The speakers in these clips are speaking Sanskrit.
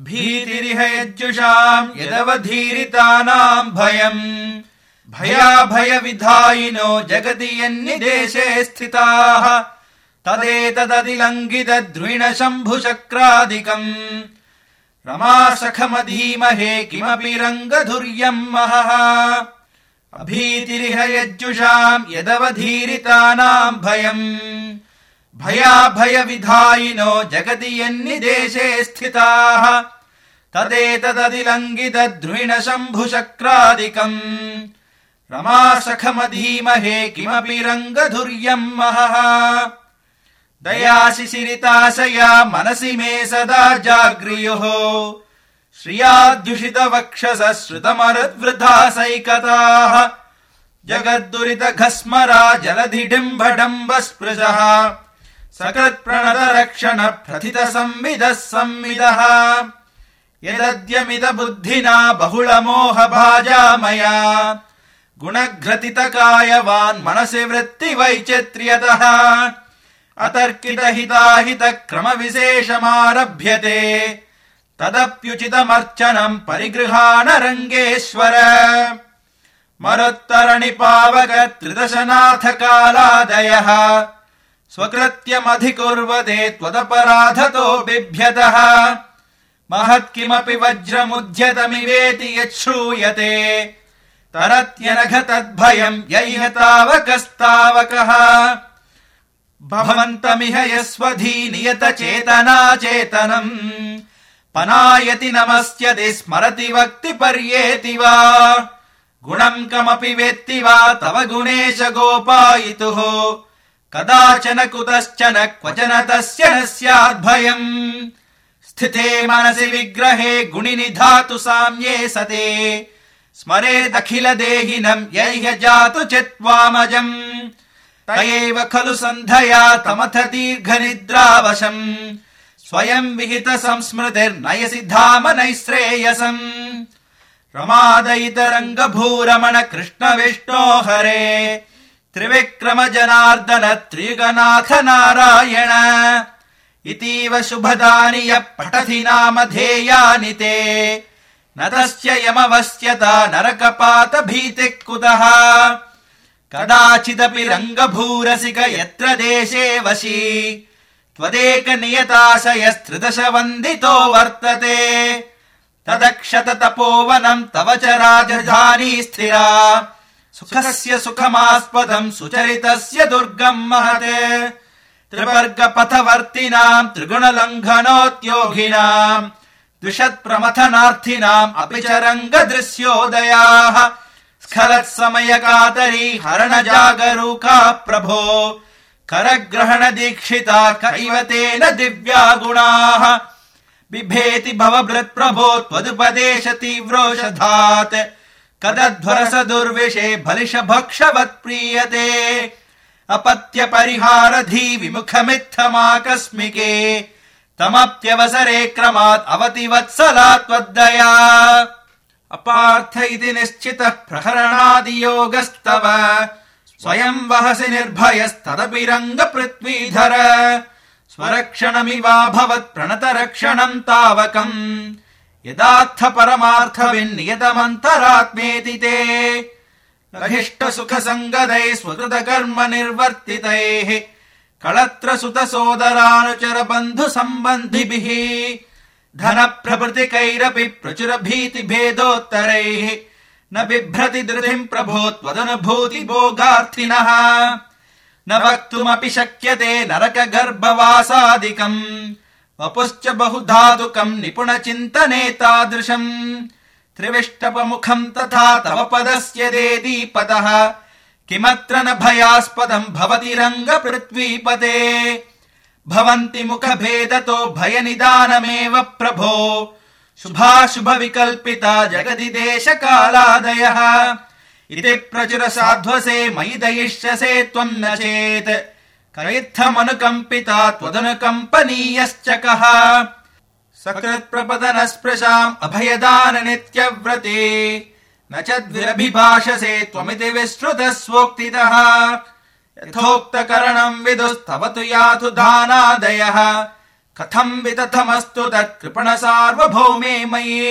भीतिरिह यज्जुषाम् यदवधीरितानाम् भयम् भयाभयविधायिनो जगति यन्निदेशे स्थिताः तदेतदतिलङ्घितद्रुहिणशम्भुशक्रादिकम् रमासखमधीमहे किमपि रङ्गधुर्यम् महः अभीतिरिह यज्जुषाम् यदवधीरितानाम् भयम् भयाभयविधायिनो जगति यन्निदेशे स्थिताः तदेतदतिलङ्घितद्रुहिणशम्भुशक्रादिकम् रमासखमधीमहे किमपि रङ्गधुर्यम् महः दयाशिशिरिताशया मनसि मे सदा जाग्र्युः श्रियाद्युषितवक्षसः श्रुतमरुद्वृद्धासैकताः जगद्दुरितघस्मरा जलधिडिम्बडम्बस्पृशः सकृत्प्रणतरक्षण प्रथितसंविदः संविदः यदद्यमिद बुद्धिना बहुलमोहभाजामया गुणघ्रतितकायवान् मनसि वृत्तिवैचित्र्यतः अतर्कितहिताहितक्रमविशेषमारभ्यते तदप्युचितमर्चनम् परिगृहाणरङ्गेश्वर मरुत्तरणिपावकत्रिदशनाथकालादयः स्वकृत्यमधिकुर्वते त्वदपराधतो बिभ्यतः महत्किमपि वज्रमुद्यतमिवेति यच्छ्रूयते तरत्यनघ तद्भयम् यैह तावकस्तावकः भवन्तमिह यस्वधी नियतचेतनाचेतनम् पनायति नमस्यति स्मरति वक्ति पर्येति वा गुणम् कमपि वेत्ति वा तव गुणेश गोपायितुः कदाचन कुतश्चन क्वचन तस्य न स्याद्भयम् स्थिते मनसि विग्रहे गुणिनिधातु साम्ये सते स्मरेदखिल देहिनम् यैह जातु चित्वामजम् तयैव खलु सन्धया तमथ दीर्घनिद्रावशम् स्वयम् विहित संस्मृतिर्नयसि धाम नैश्रेयसम् रमादयितरङ्गभूरमण कृष्ण विष्णो हरे त्रिविक्रम जनार्दन त्रियुगनाथ नारायण इतीव शुभदानि यः पठति नामधेयानि ते न तस्य यमवस्यता नरकपात भीतिः कुतः कदाचिदपि रङ्गभूरसिक यत्र देशे वशी त्वदेक नियताशयस्त्रिदश वन्दितो वर्तते तदक्षत तपोवनम् तव च राजधानी स्थिरा सुखस्य सुखमास्पदम् सुचरितस्य दुर्गम् महत् त्रिवर्गपथवर्तिनाम् त्रिगुणलङ्घनोद्योगिनाम् द्विषत्प्रमथनार्थिनाम् अपि च रङ्गदृश्योदयाः स्खलत्समयकातरी हरणजागरूका प्रभो करग्रहण दीक्षिता कैवतेन दिव्या गुणाः बिभेति भवभृत्प्रभो त्वदुपदेश तीव्रोषधात् कदध्वरस दुर्विषे भलिशभक्षवत् प्रीयते अपत्य परिहारधी विमुखमित्थमाकस्मिके तमप्यवसरे क्रमात् अवति वत्सला त्वद्दया अपार्थ इति निश्चितः प्रहरणादियोगस्तव स्वयं वहसि निर्भयस्तदपि रङ्गपृथ्वीधर स्वरक्षणमिवाभवत् प्रणतरक्षणम् तावकम् यदार्थ परमार्थ विन्नियतमन्तरात्मेति ते लघिष्ट सुख संगदैः स्वकृत कर्म निर्वर्तितैः कळत्र सुत सोदरानुचर बन्धु सम्बन्धिभिः धन प्रभृतिकैरपि प्रचुर भीति भेदोत्तरैः न बिभ्रति धृतिम् प्रभो त्वदनुभूति भोगार्थिनः न वक्तुमपि शक्यते नरक गर्भवासादिकम् वपुश्च बहुधातुकम् निपुण चिन्तने तादृशम् त्रिविष्टपमुखम् तथा तव पदस्य देदीपतः किमत्र न भयास्पदम् भवति रङ्गपृथ्वीपते भवन्ति मुखभेदतो भयनिदानमेव प्रभो शुभाशुभ विकल्पिता जगति देशकालादयः इति प्रचुर साध्वसे मयि दयिष्यसे त्वम् न चेत् कयित्थमनुकम्पिता त्वदनुकम्पनीयश्च कः सकृत्प्रपदनस्पृशाम् अभयदान नित्यव्रते न च द्विरभिभाषसे त्वमिति विश्रुतः कथम् वितथमस्तु तत्कृपण सार्वभौमे मयि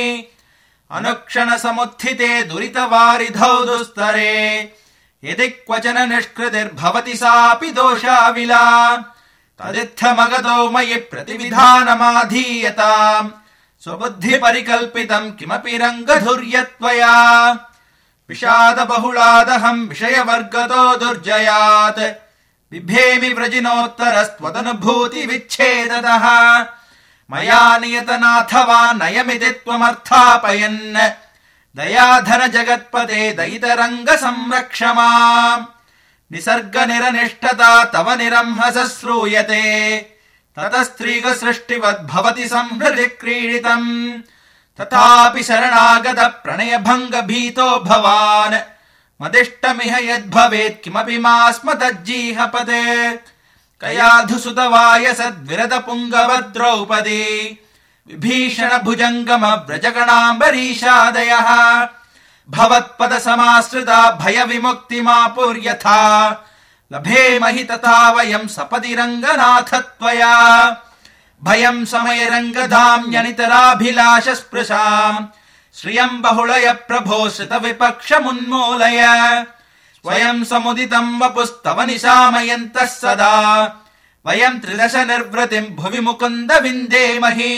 अनुक्षण समुत्थिते दुरितवारिधौ दुस्तरे यदि क्वचन निष्कृतिर्भवति सापि दोषाविला तदित्थमगतो मयि प्रतिविधानमाधीयताम् स्वबुद्धि परिकल्पितम् किमपि रङ्गधुर्यत्वया विषाद बहुलादहम् विषयवर्गतो दुर्जयात् बिभेमि व्रजिनोत्तरस्त्वदनुभूति विच्छेदतः मया नियतनाथवा नयमिति त्वमर्थापयन् दयाधर जगत्पते दयितरङ्ग संरक्ष माम् निसर्ग निरनिष्ठता तव निरंहस श्रूयते ततस्त्रीग सृष्टिवद्भवति संहृदि क्रीडितम् तथापि शरणागत प्रणय भङ्ग भीतो भवान् मदिष्टमिह यद्भवेत् किमपि मा स्म तज्जीहपदे कयाधुसुतवायसद्विरद पुङ्गव द्रौपदी विभीषण भुजङ्गम व्रजगणाम्बरीशादयः भवत्पद समाश्रिता भय विमुक्तिमापुर्यथा लभेमहि तथा वयम् सपदि रङ्गनाथ त्वया भयम् समय रङ्गधाम्यनितराभिलाष स्पृशाम् श्रियम् बहुलय प्रभो श्रित विपक्षमुन्मूलय स्वयम् समुदितम् वपुस्तव निशामयन्तः सदा वयम् त्रिदश निर्वृतिम् भुवि मुकुन्द विन्देमहि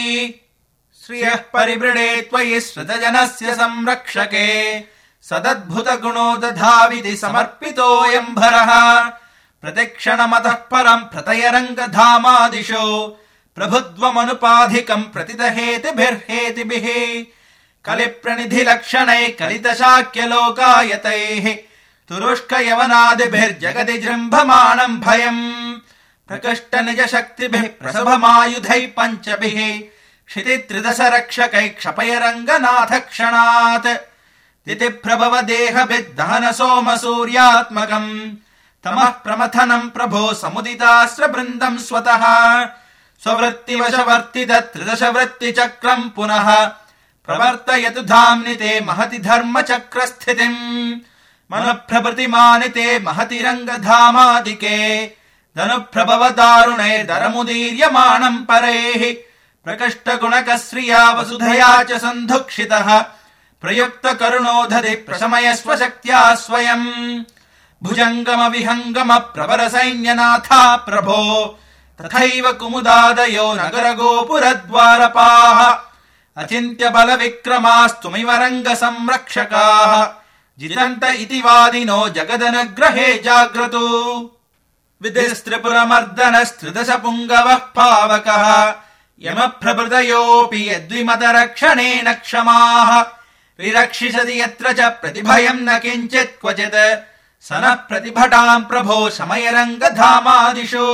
श्रियः परिवृणे त्वयि श्रुतजनस्य संरक्षके सदद्भुत गुणो दधाविधि समर्पितोऽयम् भरः प्रतिक्षणमतः परम् प्रतय रङ्गधामादिशो प्रभुत्वमनुपाधिकम् प्रतिदहेतिभिर्हेतिभिः कलिप्रणिधि लक्षणैः कलितशाक्यलोकायतैः तुरुष्क यवनादिभिर्जगति जृम्भमाणम् भयम् प्रकृष्ट निज शक्तिभिः प्रसभमायुधैः पञ्चभिः क्षिति त्रिदश रक्षकैः क्षपय रङ्गनाथ क्षणात् दिति प्रभव देहभिद्दहन सोम सूर्यात्मकम् तमः प्रमथनम् प्रभो समुदितास्त्र वृन्दम् स्वतः स्ववृत्तिवशवर्तित त्रिदश वृत्तिचक्रम् पुनः प्रवर्तयतु धाम्नि ते महति धर्म चक्र स्थितिम् मनुप्रभृतिमानिते महति रङ्गधामादिके धनुप्रभव दारुणैर्दरमुदीर्यमाणम् परैः प्रकृष्ट गुणकश्रिया वसुधया च सन्धुक्षितः प्रयुक्त करुणोधरि प्रशमयस्व शक्त्या स्वयम् भुजङ्गम विहङ्गम प्रवर सैन्यनाथा प्रभो तथैव कुमुदादयो नगर गोपुरद्वारपाः अचिन्त्य बल विक्रमास्तुमिव रङ्ग संरक्षकाः जितन्त इति वादिनो जगदनुग्रहे जाग्रतो विधिस्त्रिपुरमर्दनस्त्रिदश पुङ्गवः पावकः यमप्रभृतयोऽपि यद्विमत रक्षणेन क्षमाः विरक्षिषति यत्र च प्रतिभयम् न किञ्चित् क्वचित् स नः प्रतिभटाम् प्रभो शमय रङ्गधामादिषु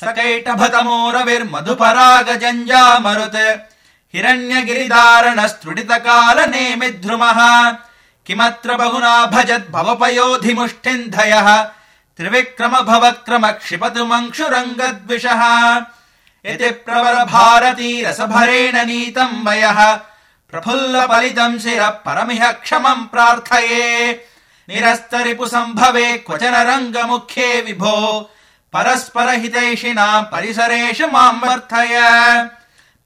सकैटभतमोरविर्मधुपराग जञ्जामरुत् हिरण्यगिरिधारणस्तृटितकाल नेमिद्रुमः किमत्र बहुना भजत् भवपयोधिमुष्ठिन्धयः त्रिविक्रम भवक्रम क्षिपतु मंक्षुरङ्गद्विषः इति प्रवर भारती रसभरेण नीतम् वयः प्रफुल्ल पलितम् शिरः परमिह क्षमम् प्रार्थये निरस्तरिपु सम्भवे क्वचन रङ्गमुख्ये विभो परस्पर हितैषिणाम् परिसरेषु माम् वर्धय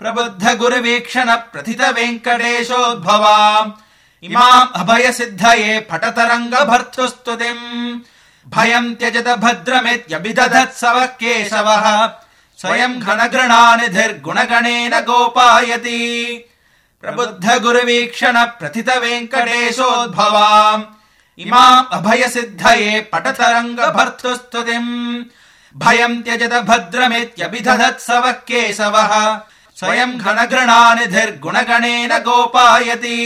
प्रबुद्ध गुरुवीक्षण प्रथित वेङ्कटेशोद्भवाम् इमाम् अभय सिद्धये फटत रङ्ग भर्तुस्तुतिम् भयम् त्यजत भद्रमित्यभिदधत्सवः केशवः स्वयम् घनगृणानिधिर्गुणगणेन गोपायति प्रबुद्ध गुरुवीक्षण प्रथित वेङ्कटेशोद्भवाम् इमाम् अभय सिद्धये पठत रङ्ग भर्तुस्तुतिम् भयम् त्यजत भद्रमित्यभिदधत्सवः केशवः स्वयम् घनगृणानिधिर्गुणगणेन गोपायति।